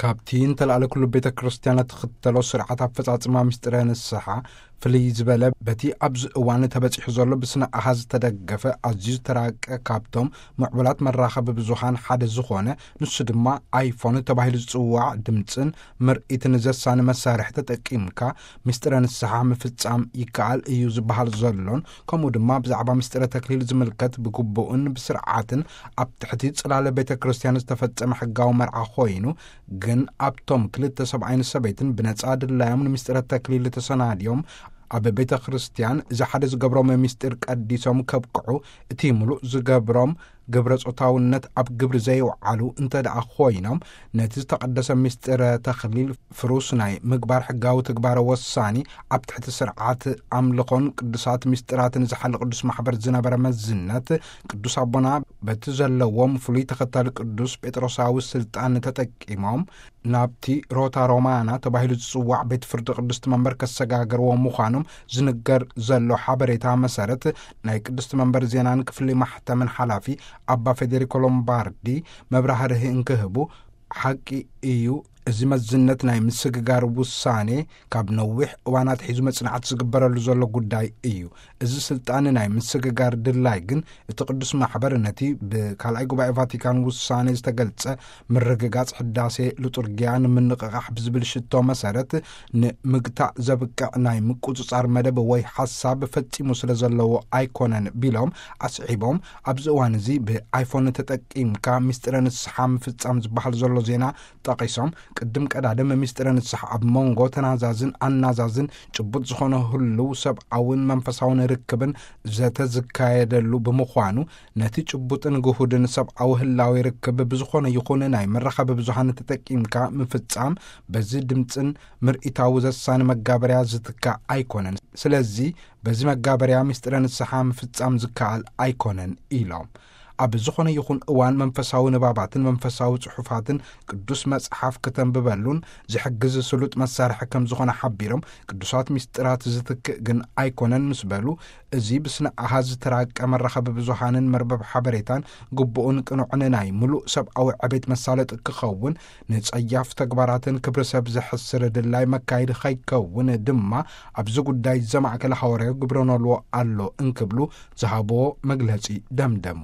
ካብቲ እንተላዕለ ኩሉ ቤተ ክርስቲያን እትኽተሎ ስርዓት ኣፈጻጽማ ምስጢረ ንስሓ ፍልይ ዝበለ፣ በቲ ኣብዚ እዋን ተበጺሑ ዘሎ ብስነ ኣሃዝ ዝተደገፈ ኣዝዩ ዝተራቀ፣ ካብቶም ምዕቡላት መራኸቢ ብዙሃን ሓደ ዝኾነ፣ ንሱ ድማ ኣይፎን ተባሂሉ ዝጽዋዕ ድምጽን ምርኢትን ዘሳኒ መሳርሒ ተጠቂምካ ምስጢረ ንስሓ ምፍጻም ይከኣል እዩ ዝበሃል ዘሎን፣ ከምኡ ድማ ብዛዕባ ምስጢረ ተክሊል ዝምልከት ብግቡእን ብስርዓትን ኣብ ትሕቲ ጽላለ ቤተ ክርስቲያን ዝተፈጸመ ሕጋዊ መርዓ ኮይኑ፣ ግን ኣብቶም ክልተ ሰብኣይን ሰበይትን ብነጻ ድላዮም ንምስጢረ ተክሊል ተሰናድዮም ኣብ ቤተ ክርስቲያን እዚ ሓደ ዝገብሮም ምስጢር ቀዲሶም ከብቅዑ፣ እቲ ምሉእ ዝገብሮም ግብረ ጾታውነት ኣብ ግብሪ ዘይውዓሉ እንተ ደኣ ኮይኖም፣ ነቲ ዝተቐደሰ ምስጢረ ተክሊል ፍሩስ ናይ ምግባር ሕጋዊ ትግባረ ወሳኒ ኣብ ትሕቲ ስርዓት ኣምልኾን ቅዱሳት ምስጢራትን ዝሓሊ ቅዱስ ማሕበር ዝነበረ መዝነት፣ ቅዱስ ኣቦና በቲ ዘለዎም ፍሉይ ተኸታሊ ቅዱስ ጴጥሮሳዊ ስልጣን ተጠቂሞም ናብቲ ሮታ ሮማና ተባሂሉ ዝጽዋዕ ቤት ፍርዲ ቅድስቲ መንበር ከሰጋገርዎ ምዃኖም ዝንገር ዘሎ ሓበሬታ መሰረት፣ ናይ ቅድስቲ መንበር ዜናን ክፍሊ ማሕተምን ሓላፊ ኣባ ፌዴሪኮ ሎምባርዲ መብራህርሂ እንክህቡ፣ ሓቂ እዩ፣ እዚ መዝነት ናይ ምስግጋር ውሳኔ ካብ ነዊሕ እዋን ኣትሒዙ መጽናዕቲ ዝግበረሉ ዘሎ ጉዳይ እዩ። እዚ ስልጣን ናይ ምስግጋር ድላይ ግን እቲ ቅዱስ ማሕበር ነቲ ብካልኣይ ጉባኤ ቫቲካን ውሳኔ ዝተገልጸ ምርግጋጽ ሕዳሴ ሉጡርጊያ ንምንቕቓሕ ብዝብል ሽቶ መሰረት ንምግታእ ዘብቅዕ ናይ ምቁጽጻር መደብ ወይ ሓሳብ ፈጺሙ ስለ ዘለዎ ኣይኮነን ቢሎም ኣስዒቦም፣ ኣብዚ እዋን እዚ ብኣይፎን ተጠቂምካ ምስጢረ ንስሓ ምፍጻም ዝበሃል ዘሎ ዜና ጠቒሶም፣ ቅድም ቀዳድም ምስጢረ ንስሓ ኣብ መንጎ ተናዛዝን ኣናዛዝን ጭቡጥ ዝኾነ ህልው ሰብኣውን መንፈሳውን ርክብን ዘተ ዝካየደሉ ብምዃኑ፣ ነቲ ጭቡጥን ግሁድን ሰብኣዊ ህላዊ ርክብ ብዝኾነ ይኹን ናይ መራኸቢ ብዙሃን ተጠቂምካ ምፍጻም በዚ ድምጽን ምርኢታዊ ዘሳኒ መጋበርያ ዝትካእ ኣይኮነን። ስለዚ በዚ መጋበርያ ምስጢረ ንስሓ ምፍጻም ዝከኣል ኣይኮነን ኢሎም። ኣብ ዝኾነ ይኹን እዋን መንፈሳዊ ንባባትን መንፈሳዊ ጽሑፋትን ቅዱስ መጽሓፍ ከተንብበሉን ዝሕግዝ ስሉጥ መሳርሒ ከም ዝኾነ ሓቢሮም፣ ቅዱሳት ምስጢራት ዝትክእ ግን ኣይኮነን ምስ በሉ፣ እዚ ብስነ ኣሃዝ ዝተራቀ መራኸቢ ብዙሃንን መርበብ ሓበሬታን ግቡእን ቅኑዕን ናይ ምሉእ ሰብኣዊ ዕቤት መሳለጢ ክኸውን፣ ንጸያፍ ተግባራትን ክብሪ ሰብ ዘሕስር ድላይ መካይድ ኸይከውን ድማ ኣብዚ ጉዳይ ዘማእከለ ሃዋርያዊ ግብረ ኖልዎ ኣሎ እንክብሉ ዝሃብዎ መግለጺ ደምደሙ።